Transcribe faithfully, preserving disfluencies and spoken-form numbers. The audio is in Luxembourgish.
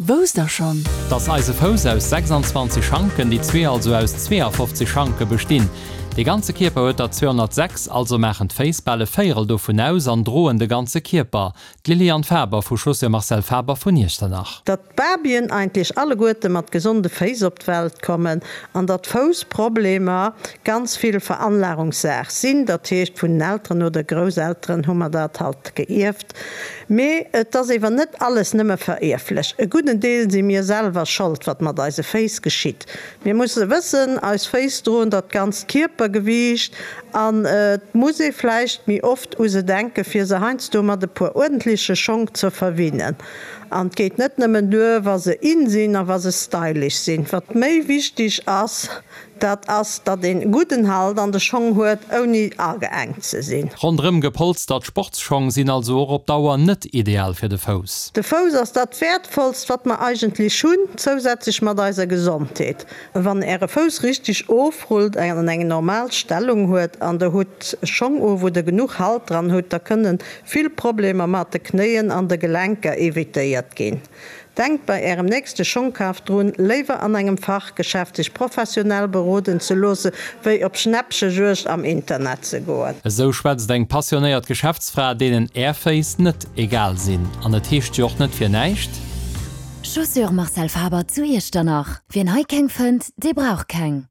Wousst der schonn? Dass eise Fouss aus sechsanzwanzeg Schanken, déi zwee also aus zweeafofzeg Schanke bestinn. Dee ganze Kierper huet der zweehonnertsechs, also maachen d'Féiss bal e Véierel dovun aus an droen de ganze Kierper. D'Liliane Faber vu Chaussures Marcel Faber vun Iechternach. Datt d'Babyen eigentlech alleguerte mat gesonde Féiss op d'Welt kommen an datt Foussproblemer ganz vill Veranlagungssaach sinn, dat heescht vun den Elteren oder Grousselteren hu mer dat halt geierft. Mee et ass ewer net alles nëmme verierflech. E gudden Deel si mir selwer Schold, wat mat eise Féiss geschitt. Mir musse wëssen, eis Féiss droen dat ganzt Kierpergewiicht an et muss ee vläicht méi oft u se denken, fir se heiansdo mat e puer uerdentleche Schong ze verwinnen. An et geet net nëmmen duer, wa se in sinn a wa se stylish sinn. Wat méi wichteg ass, dat ass, datt een gudden Halt an de Schong huet, ouni ageengt ze sinn. Ronderëm gepolstert Sportsschong sinn also och op Dauer net ideal fir de Fouss. De Fouss ass dat Wäertvollst, wat mer eigentlech hunn, zousätzlech mat eiser Gesondheet. Wann Äre Fouss richteg ofrullt an eng normal Stellung huet an Der hutt Schong u wou Der genuch Halt dran hutt, da kënne vill Problemer mat de Knéien an de Gelenker evitéiert ginn. Denkt bei Ärem nächste Schongkaf drun, léiwer an engem Fachgeschäft sech professionell beroden ze loosse wéi op Schnäppchejuegd am Internet ze goen. Esou schwätzt eng passionéiert Geschäftsfra, deenen Är Féiss net egal sinn. An et heescht jo och net fir näischt. Chaussures Marcel Faber zu Iechternach, Wien hei keng fënnt, dee brauch keng.